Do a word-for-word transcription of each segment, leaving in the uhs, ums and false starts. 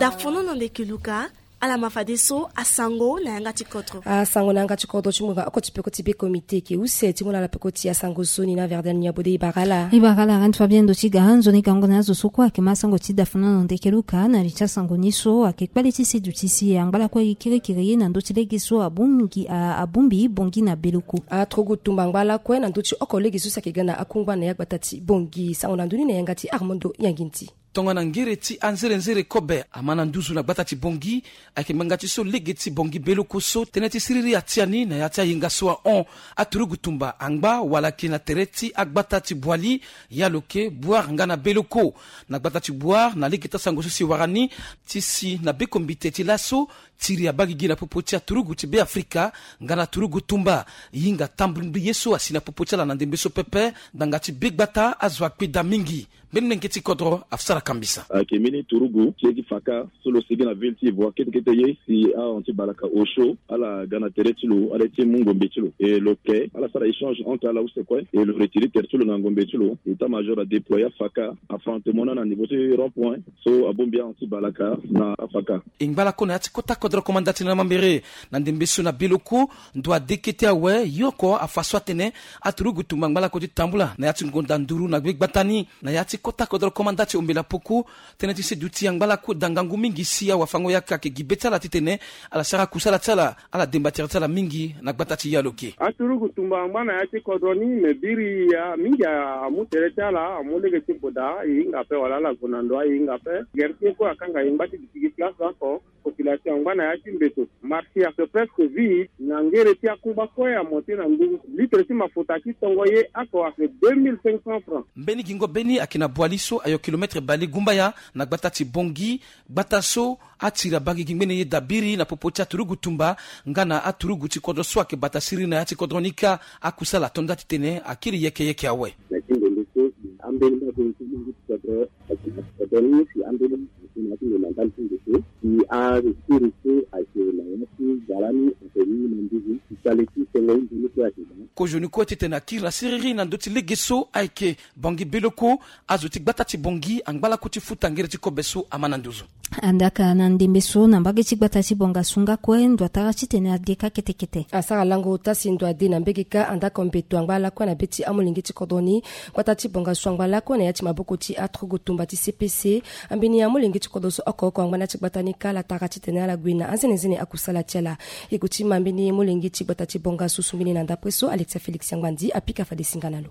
Dafonono ndeke luka. Ala ma fadeso asango na yanga ti kodro. Asango na yanga ti kodro ti mungo oko ti peko ti be komite eke use ti mu na ala peko ti asango so ni na Verden Niabode. Ibara ala. Ibara ala, rente fabien ndo ti ga nzoni gango na azo so kue ayeke ma asango ti dafonono ndeke luka na li ti asango ni so ayeke kpale ti si duti si angba lakue ye kirikiri na ndö ti lege so abongbi abongbi bongi na beloko. Aturugu tumba angba lakue na ndö ti oko lege so si ayeke ga na akungba na ya gbata ti bongi. Sango na ndoni na yanga ti Armando Yanginti. Tongana ngere ti anzerenzere kobe ama na nduzu na gbata ti bongi. Ayeke ngbanga ti so lege ti bongi beloko so tënë ti siriri atia ni na ya ti ayenga so ahon. Aturugu tumba angba wala ayeke na tere ti agbata ti bwali, ya loke bwar nga na beloko. Na gbata ti bwar na lege ti asango so si wara ni ti si na bekombite ti laso tiri abagigi na popo ti aturugu ti be afrika nga na turugu tumba. Hinga tambuli mbi ye so asi na popo ti ala na ndembe so pepe. Ngbanga ti be gbata azo akpe daa mingi. Mbeni lenge ti kodro afusara kambisa. Ayeke mbeni turugu ti ye ti faka so lo sigi na ville ti ivoire kete kete ye si ahon ti balaka osio ala ga na tere ti lo ala ye ti mu ngombe ti lo e lo ke ala sara échange entre ala use kue e lo retiri tere ti lo na ngombe ti lo. État major adéploye afaka affrontement na na niveau ti rond point so abongbi ahon ti balaka na afaka. E ngba lakue na ya ti kota kodro komanda ti na mambere na ndembe so na beloko. Ndo ade kete awe yo oko afa so atene aturugu tumba ngba lakue ti tambula na ya ti ngonda nduru na gbe gbata ni. Na ya ti kota kodro komanda ti ombela poko tënë ti seduti angba lakue daa ngangu mingi si awafango-yaka ayeke gi be ti ala titene ala sara kusala ti ala ala demba tere ti ala mingi na gbata ti yaloke. Aturugu tumba angba na ya ti kodro ni me biri ya mingi amu tere ti ala amu lege ti boda e hinga ape wala ala gue na ndo aye hinga ape. Gere ti ye kue akanga e ngba ti gi ti gi place oko. Population angba na ya ti mbeto marché ayeke presque vide na ngere ti akungba kue amonte na ngu litre ti mafuta ti tongo ye oko ayeke deux mille cinq cents francs. Mbeni gingo be ni ayeke na bwali so ayo kilometre bale gumbaya na gbata ti bongi. Gbata so atiri abagigi ngbene ye dabiri na popo ti aturugu tumba nga na aturugu ti kodro so ayeke bata siriri na ya ti kodro ni kâ. Akusala ato nda titene akiri yeke yeke awe. Na ti ndembe so ambeni mbage ti kodro ayeke na ti kodro ni si ambeni ayeke na ya ti ndembe na ndali ti ndembe si aspiri so ayeke na ya ti gara ni ayeke ni na nduzu ti sale ti sengo ni nzoni kue ayeke daa. Kozoni kue titene akiri na siriri na ndö ti lege so ayeke bongi beloko. Azo ti gbata ti bongi angba lakue ti futa ngere ti kobe so ama na nduzu. Andaka na ndembe so na mbage ti gbata ti bonga sunga kue ndo atara titene ade kâ kete kete. Asara lango ota si ndo ade na mbege kâ andaka mbeto angba lakue na be ti amolenge ti kodro ni. Gbata ti bonga so angba lakue na ya ti maboko ti aturugu tumba ti cpc. Ambeni amolenge ti kodro so oko oko angba na ya ti gbata ni kâ ala tara titene ala gue na anzenenzene akusala ti ala. Eko ti ma mbeni molenge ti gbata ti bonga so so mbeni na ndapre so alexia félix yangbandi apika fade singa na lo.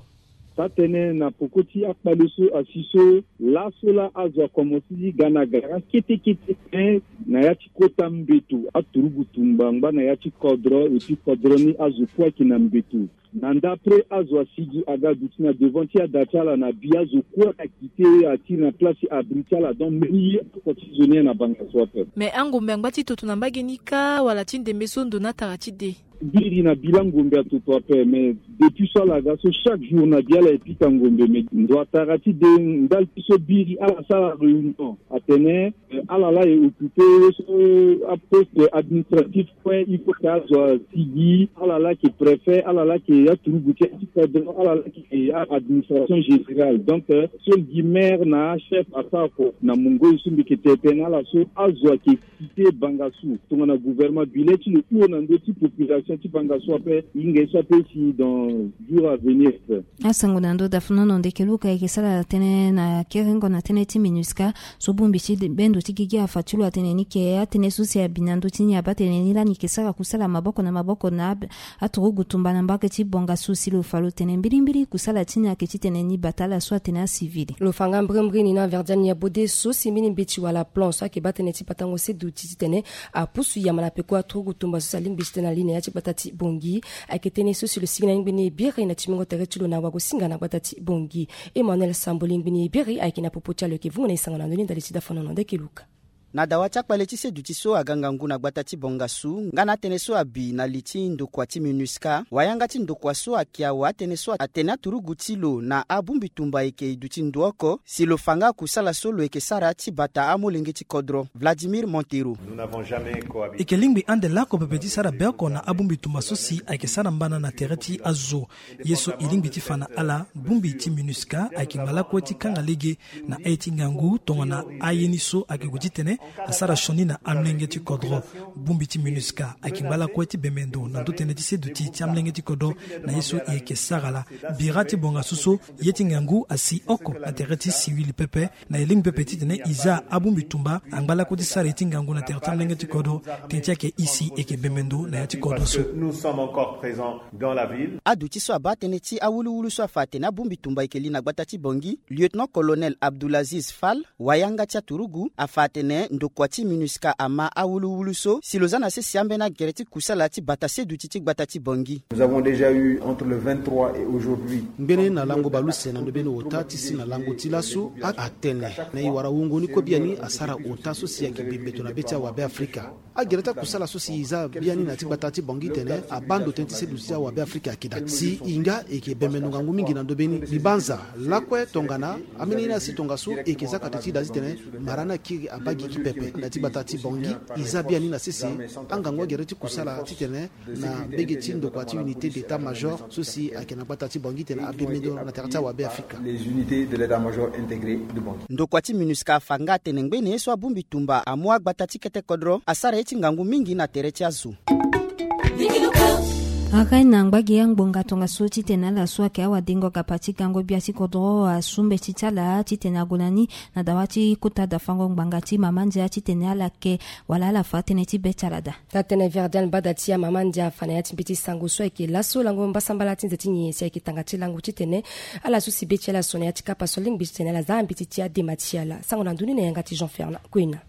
Taa-tënë na poko ti akpale so asi so laso laa azo akomanse ti ga na gara kete kete tënë na ya ti kota mbeto aturugu tumba ngba na ya ti kodro eti kodro ni azo kue ayeke na mbeto. Na ndapre azo asigi aga duti na devant ti ada ti ala na bi azo kue akite atiri na place ti abri ti ala donc mbeni ye oko ti zo ni na banga so ape. Mais angombe angba ti toto na mbage ni kâ wala ti ndembe so ndo ni atara ti de? Biri na bila ngombe atoto ape mais depuis so ala ga so chaque jour na bi ala epika ngombe mais ndo atara ti de ndali ti so biri ala sara réunion atene ala laa e occupe ye so aposte administratif kue il faut ke azo asigi ala laa ke préfet ala laa ke aturugu ti ya ti kodro ala laa ke administration générale donc so gi maire na achef asara ko na mongo ye so mbi ke tene tene ala so azo ayeke kite banga su tongana gouvernement bi le ti lo hio na ndö ti population ti banga su ape. Hinga ye so ape si dans jour à venir ape. Asango na ndö dafunono ndeke luka ayeke sara tënë na kerengo na tënë ti minusca so bongbi ti bendo ti gigi afa ti lo atene ni ke atënë so si abi na ndö ti ni abaa tene ni lani ke sara kusala maboko na maboko na aturugu tumba na mbage ti bonga su si lo fa lo tene mbilimbili kusala ti ni ayeke titene ni bata ala so atene acivil. Lo fa nga mbrimbri ni na verdiani ya bode so si mbeni mbeti wala plan so ayeke baa tënë ti batango seduti titene apusu yama na peko aturugu tumba so si alingbi titene ali na ya ti gbata ti bongi. Ayeke tënë so si lo sigi na ngbene ebiri na timingo tere ti lo na wagosinga na gbata ti bongi. Emmanuel sambo lingbini ebiri ayeke na popo ti alo yeke vungo na esango na ndoni ndali ti dafonono ndeke luka. Na dawa ti akpale ti seduti so aga ngangu na gbata ti Bangassou nga na atënë so abi na li ti ndokua ti MINUSCA, wayanga ti ndokua so ayeke awa atënë so atene aturugu ti lo na abongbi tumba ayeke duti ndo oko si lo fa nga kusala so lo yeke sara ti bata amolenge ti kodro. Vladimir Montero. E yeke lingbi ande lako pepe ti sara be oko na abongbi tumba so si ayeke sara mbana na tere ti azo. Ye so e lingbi ti fa na ala, bongbi ti MINUSCA ayeke ngba lakue ti kanga lege na aye ti ngangu tongana aye ni so ayeke gue titene asara sioni na amolenge ti kodro. Bongbi ti MINUSCA ayeke ngba lakue ti bembe ndo na ndö tënë ti seduti ti amolenge ti kodro na ye so e yeke sara laa. Bira ti Bangassou so, ye ti ngangu asi oko na tere ti siwili pepe. Na e lingbi pepe titene e za abongbi tumba angba lakue ti sara ye ti ngangu na tere ti amolenge ti kodro. Tënë ti ayeke e si e yeke bembe ndo na ya ti kodro so. Aduti so abaa tënë ti awuluwulu so afa atene abongbi tumba ayeke li na gbata ti Bangui, lieutenant-colonel Abdoulaziz Fall, wayanga ti aturugu, afa atene ndokua ti MINUSCA ama awuluwulu so si lo za na sese ambeni agere ti kusala ti bata seduti ti gbata ti Bangui. Nous avons déjà eu entre le vingt-trois et aujourd'hui. Ngbene na lango bale use na ndo mbeni ota ti si na lango ti laso, a- atene na e wara wungo ni kue biani asara ota so si ayeke bi mbeto na be ti awabe Afrika. Agere ti akusala so si e za biani na ya ti gbata ti Bangui titene abaa ndo tënë ti seduti ti awabe Afrika ayeke daa. Si e nga e yeke bembe ndo ngangu mingi na ndo mbeni. Mbi banza lakue tongana ambeni ni asi tongaso e yeke za kate ti daa titene mara ni akiri abaa gigi pepe. Na ya ti gbata ti Bangui, e za biani na sese angangu agere ti kusala titene na mbege ti ndokua ti unité d'état-major so si ayeke na gbata ti Bangui titene abembe ndo na tere ti awabe Afrika. Les unités de l'état-major intégré de Bangui. Ndokua ti MINUSCA afa nga atene ngbene ye so abongbi tumba amu agbata ti kete kodro asara ye ti ngangu mingi na tere ti azo. Agai na ngbagi angbonga tongaso titene ala so ayeke awadengo gapa ti gango gbia ti kodro asu mbeti ti ala titene ague na ni na dawa ti kota dafango ngbanga ti mama ndia titene ala ke wala ala fa tënë ti be ti ala daa. Taa tënë Verdiane Bada ti amama ndia afa na ya ti mbeti sango so ayeke laso lango mbasambala ti nze ti nyenye si ayeke tanga ti lango titene ala so si be ti ala so na ya ti kapa so alingbi titene ala za mbeti ti adema ti ala. Sango na ndö ni na yanga ti Jean Fernand Kwena.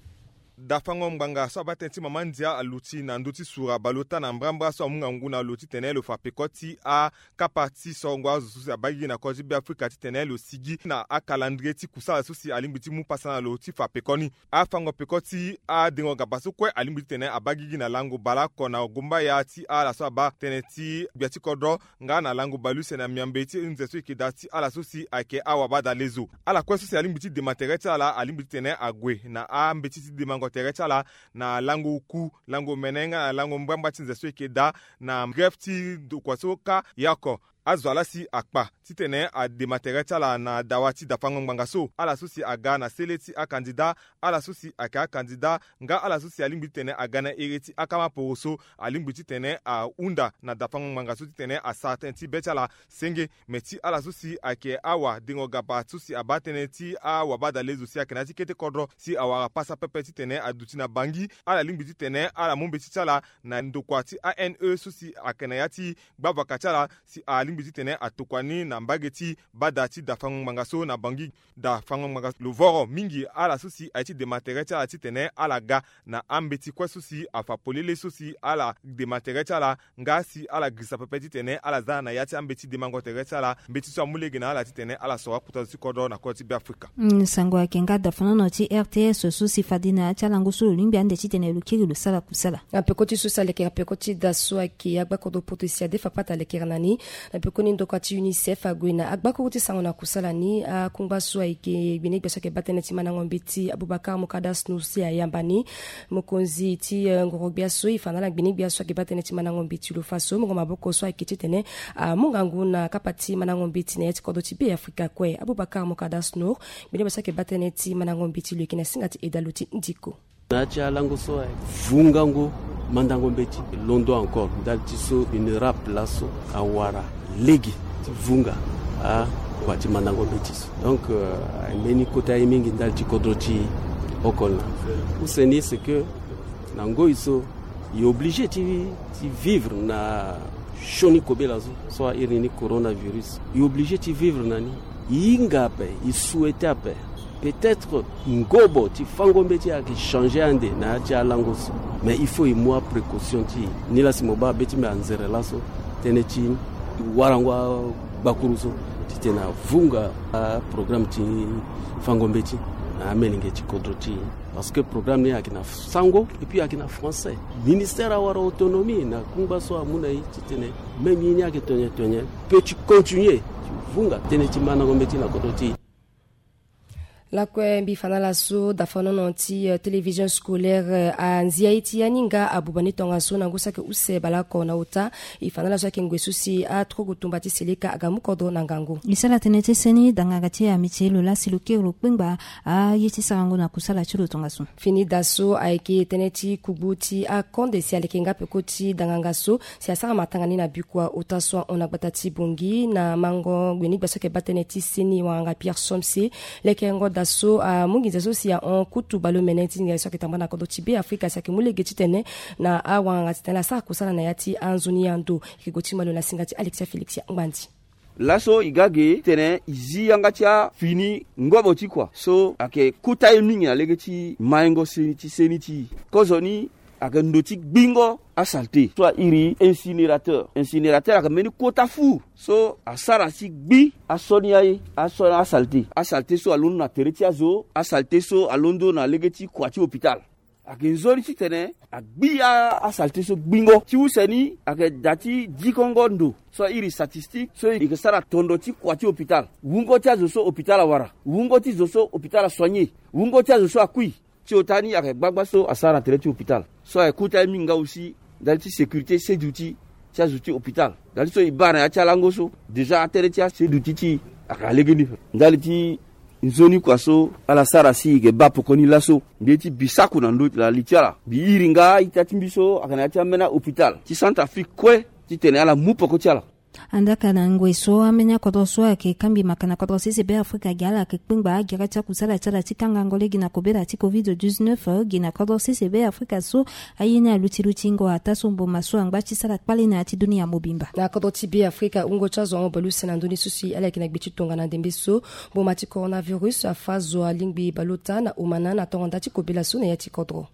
Dafango ngbanga so abaa tënë ti mama ndia aluti na ndö ti sura baleota na mbrambra so amu ngangu na lo titene lo fa peko ti akapa ti sorongo azo so si abaa gigi na kodro ti Beafrika titene lo sigi na akalendrie ti kusala so si alingbi ti mu pasa na lo ti fa peko ni. Afango peko ti adengo gapa so kue alingbi titene abaa gigi na lango baleoko na gumbaya ti ala so abaa tënë ti gbia ti kodro nga na lango baleuse na miambe ti nze so eke daa ti ala so si ayeke awabadalezo. Ala kue so si alingbi ti dema tere ti ala alingbi titene ague na ambeti ti demango tere ti ala na lango oku, lango mene nga na lango mbrambra ti nze so eke daa na grève ti ndokua so kâ ye oko. Azo ala si akpa titene adema tere ti ala na dawa ti dafango ngbanga so. Ala so si aga na sele ti akandida, ala so si ayeke akandida nga ala so si alingbi titene aga na ere ti akamaporo so alingbi titene ahunda na dafango ngbanga so titene asara tënë ti be ti ala senge. Me ti ala so si ayeke awadengo gapa so si abaa tënë ti awabadalezo si ayeke na ya ti kete kodro si awara pasa pepe titene aduti na Bangui, ala lingbi titene ala mu mbeti ti ala na ndokua ti A N E so si ayeke na ya ti gbavaka ti ala si alingbi titene atokua ni na mbage ti bada ti dafango ngbanga so na Bangui. Dafango ngbanga lo voro mingi ala so si aye ti dema tere ti ala titene ala ga na ambeti kue so si afa polele so si ala dema tere ti ala nga si ala girisa pepe titene ala za na ya ti ambeti demango tere ti ala mbeti so amu lege na ala titene ala soro akota zo ti kodro na kodro ti Beafrika. Mm, sango ayeke nga dafanono ti R T S so si fade na ya ti alango so lo lingbi ande titene lo kiri lo sara kusala. Apeko ti so si aleke apeko ti da so ayeke agbakodro poto si adefa pata alekere na ni. Na pekoni ndokua ti UNICEF ague na agbakuru ti sango na kusala ni akungba so ayeke gbene gbia so ayeke baa tënë ti mandango mbeti Aboubacar Moukadasnou si ayamba ni. Mokonzi ti eh, ngoro gbia so e fa na ala gbene gbia so ayeke baa tënë ti mandango mbeti lo fa so mungo maboko so ayeke titene amu ngangu na kapa ti mandango mbeti na ya ti kodro ti Beafrika kue. Aboubacar Moukadasnou gbene gbia so ayeke baa tënë ti mandango mbeti lo yeke na singa ti edalo ti ndiko. Na ya ti alango so aye vungango mandango mbeti londo encore ndali ti so une rap laso awara lege ti vunga akua ti mandango mbeti so. Donc euh, aye mbeni kota ye mingi ndali ti kodro ti oko na use ni c'est que na ngoi so e obligé ti, ti vivre na sioni kobela so so airi ni coronavirus. E obligé ti vivre na ni. E hinga ape, e souhaité ape. Peut-être ngobo ti fango mbeti ayeke changé ande na ya ti alango so. Mais il faut e mu aprécaution ti e. Nilaa si mo baa be ti mbi anzere laso tënë ti warango agbakuru so titene avunga aprogramme ti fango mbeti. Na amolenge ti kodro ti e. Parce que programme ni ayeke na sango et puis ayeke na français. Ministère awara autonomie na kungba so amu na e titene même ye ni ayeke tene tene pe ti continuer ti vunga tënë ti mandango mbeti na kodro ti e. Lakue mbi fa na ala so dafanono ti télévision scolaire anzia ye ti aninga abuba ni tongaso na ngu saki use baleoko na ota. E fa na ala so ayeke ngoi so si atrogo tumba ti seleka aga mu kodro na ngangu. E sara tënë ti seni danganga ti amitié lo lasi lo kiri lo kpengba aye ti sarango na kusala ti lo tongaso. Fini da so ayeke tënë ti kugbu ti akonde si aleke nga peko ti danganga so si asara matanga ni na bikua ota so ahon na gbata ti Bongi na mango gbe ni gba so ayeke baa tënë ti seni wanganga Pierre Somse. Lekerengo da so amu nginza so si ahon kutu baleomene ti nginza so ayeke tambula na kodro ti Be Afrika si ayeke mu lege titene na awanganga titene asara kusala na ya ti anzoni ando. E yeke gue ti malo na singa ti Alexia Félix ya Ngbandi. Laso e ga ge titene e zi yanga ti afini ngobo ti kua so ayeke kota ye mingi na lege ti maingo seni ti seni ti e. Kozoni ayeke ndo ti gbingo asalte so airi incinérateur. Incinérateur ayeke mbeni kota fu so asara ti gbi asoni aye, asoni asalte, asalte so alondo na tere ti azo, asalte so alondo na lege ti kua ti hôpital. Ayeke nzoni titene agbi a- asalte so gbingo ti use ni ayeke da ti dikongo ndo so airi statistique so e yeke sara tondo ti kua ti hôpital, wungo ti azo so hôpital awara, wungo ti zo so hôpital asoigné, wungo ti azo so akui. Ti ota ni ayeke gbagba so asara na tere ti hôpital so ayeke kota ye mingi nga aussi ndali ti sécurité seduti ti azo ti hôpital. Ndali so e baa na ya ti alango so déjà atënë ti aseduti ti e ayeke na legeni. Ndali ti nzoni kua so ala sara si e yeke baa pekoni laso mbi ye ti bisaku na ndö na li ti ala. Mbi iri nga ita ti mbi so ayeke na ya ti ambeni ahôpital ti Centrafrique kue titene ala mu peko ti ala. Andaka na ngoi so ambeni akodro so ayeke kangbi maka na kodro sese Be Afrika gi ala ayeke kpengba agere ti akusala ti ala ti kangango lege na kobela ti covid dix-neuf gi na kodro sese Be Afrika so aye ni aluti lutingo ataa so mboma so angba ti sara kpale na ya ti dunia mobimba. Na kodro ti Be Afrika wungo ti azo ahon baleuse na ndö ni so si ala yeke na gbe ti tongana ndembe so mboma ti coronavirus afa zo alingbi baleota na omana na tongo nda ti kobela so na ya ti kodro.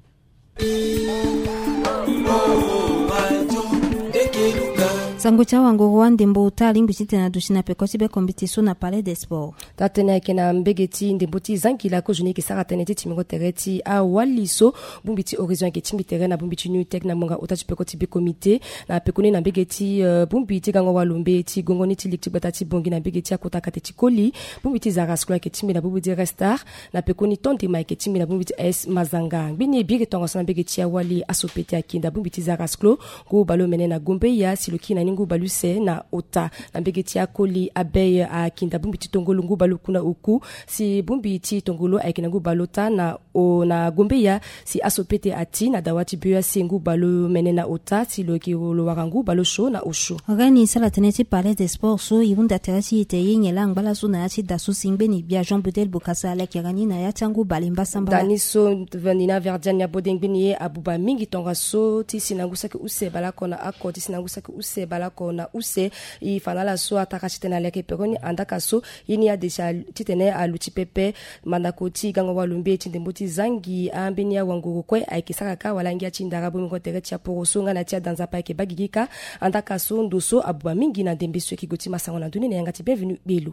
Sango ti awanguru wa ndembo ota alingbi titene aduti na peko ti be kombite so na Palais des Sports. Taa-tënë ayeke na mbege ti ndembo ti zangila kozoni e yeke sara tënë ti timbingo tere ti awali so bongbi ti Horizon ayeke tingbi tere na bongbi ti Newtech na ngbonga ota ti peko ti be komite. Na pekoni na mbege ti, eh, bongbi ti gango walombe ti gongo ni ti ligue ti gbata ti Bongi na mbege ti akota kate ti koli, bongbi ti Zarasclo ayeke tingbi na bongbi ti Red Star. Na pekoni tondima ayeke tingbi na bongbi ti A S Mazanga. Ngbeni e biri tongaso na mbege ti awali aso pete akinda bongbi ti Zarasclo ngu baleomene na Gombeya si lo kiri na ni ngu baleuse na ota. Na mbege ti akoli Abei akinda bongbi ti tongolo ngu baleoku na oku si bongbi ti tongolo ayeke na ngu baleota na o na Gombeya si aso pete ati na dawa ti B E A C ngu baleomene na ota si lo yeke lo wara ngu baleosio na osio. Reni sara tënë ti Palais des Sports so e hunda tere ti e te ye nyen laa angba laso na ya ti da so si ngbeni gbia Jean Bedel Bokassa alekere ni na ya ti angu bale mbasambala. Da ni so veni na Verdiane abode ngbeni ye abuba mingi tongaso ti si na ngu saki use baleoko na oko ti si na ngu saki use baleoko na use. E fa na ala so atara titene aleke peko ni andaka so ye ni ade si a- titene aluti pepe. Mandako ti gango walombe ti ndembo ti zangi ambeni awanguru kue ayeke sara kâ wala ngia ti ndara bongbingo tere ti aporo so nga na ti ada nzapa ayeke baa gigi kâ. Andaka so ndo so abuba mingi na ndembe so e yeke gue ti ma sango na ndö ni na yanga ti Bienvenu Belo.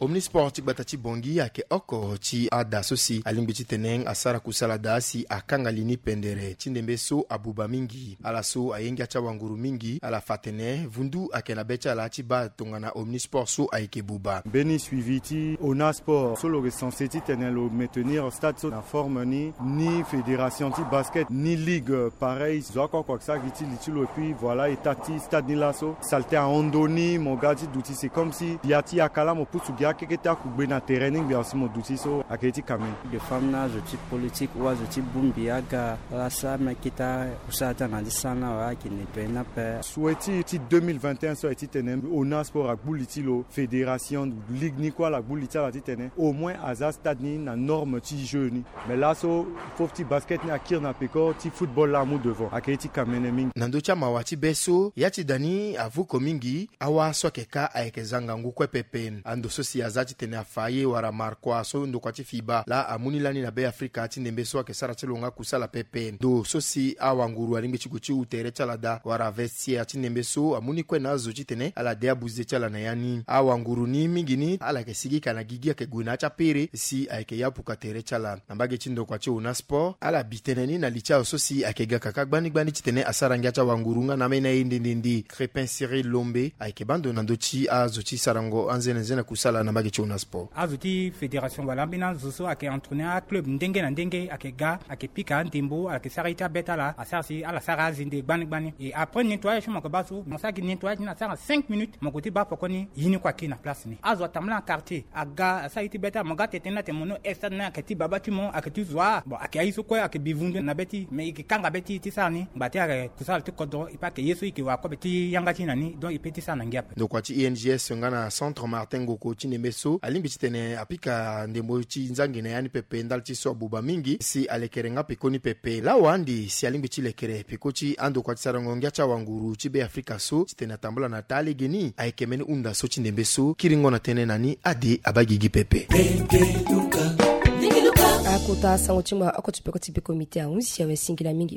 Omnisport ti gbata ti Bongi ayeke oko ti ada so si alingbi titene asara kusala daa si akanga li ni pendere ti ndembe so abuba mingi. Ala so aye ngia ti awanguru mingi ala fa atene vundu ayeke na be ti ala ti baa tongana Omnisport so ayeke buba. Mbeni suivi ti Ona Sport so lo recense titene lo maintenir stade so na forme ni, ni fédération ti basket, ni ligue, pareil. Zo oko oko ayeke sara gi ti li ti lo, et puis voilà état ti stade ni laso. Salte ahon ndö ni, mo ga ti duti, c'est comme si ya ti yaka laa mo pusu gi akeke ti akugbe na terrain ni ngbia si mo duti so ayeke ye ti kamene. De femme na azo ti politique ou azo ti bongbi aga ala sara mê kita kusala ti ala na ti sara ni awe ayeke nettoyer ni ape. Souhait ti, ti deux mille vingt et un so ayeke titene Ona Sport agbu li ti lo, fédération, ligue ni kue ala gbu li ti ala titene au moins aza stade ni na norme ti jeu ni. Mais laso fofo ti basket ni akiri na peko, ti football laa amu devant, ayeke ye ti kamene mingi. Na ndö ti amawa ti be so ya ti da ni avuko mingi, awa so ayeke kâ ayeke za ngangu kue pepe. Ando so si Aza titene afa ye wala markua so ndokua ti fiba laa amu ni lani na Be Afrika ti ndembe so ayeke sara ti lo nga kusala pepe. Ndo so si awanguru alingbi ti gue ti hu tere ti ala daa wala vestiaire ti ndembe so amu ni kue na azo titene ala de abuze ti ala na ya ni. Awanguru ni mingi ni ala yeke sigi ka na gigi ayeke gue na ya ti apere si ayeke ya puka tere ti ala. Na mbage ti ndokua ti Ona Sport ala bi tënë ni na li ti azo so si ayeke ga kaka gbani gbani titene asara ngia ti awanguru nga na ambeni aye nde nde nde. Crépin Cyril Lombe ayeke baa ndo na ndö ti azo ti sarango anzenenzene kusala na mbage ti Ona Sport. Azo ti fédération wala ambeni azo so ayeke entraîner aclub ndenge na ndenge ayeke ga ayeke pika andembo ayeke sara ye ti abê ti ala asara si ala sara azende gbani gbani. E après nettoyage so mo yeke baa so mo sara gi nettoyage ni asara cinq minutes mo gue ti baa pokoni ye ni kue ayeke na place ni. Azo atambula na quartier aga asara ye ti bê ti ala mo ga tene tene ni atene mo no estade ni ayeke ti baba ti mo ayeke ti zo. Bon ayeke aye so kue ayeke bi vundu na bê ti e mais e yeke kanga bê ti e ti sara ni ngba ti ayeke kusala ti kodro e pe ayeke ye so e yeke wara kobe ti yanga ti e na ni donc e pe ti sara na ngia ape. Ndokua ti I N G S nga na Centre Martin Ngoko ti ndembe so alingbi titene apika ndembo ti nzangi na ya ni pepe ndali ti so abuba mingi si alekere nga peko ni pepe. Lawa ande si alingbi ti lekere peko ti andokua ti sarango ngia ti awanguru ti Be Afrika so titene atambula na taa lege ni ayeke mbeni hunda so ti ndembe so kiringo na tënë na ni ade abaa gigi pepe. Akota sango ti ma oko ti peko ti be comité ahunzi awe singila mingi.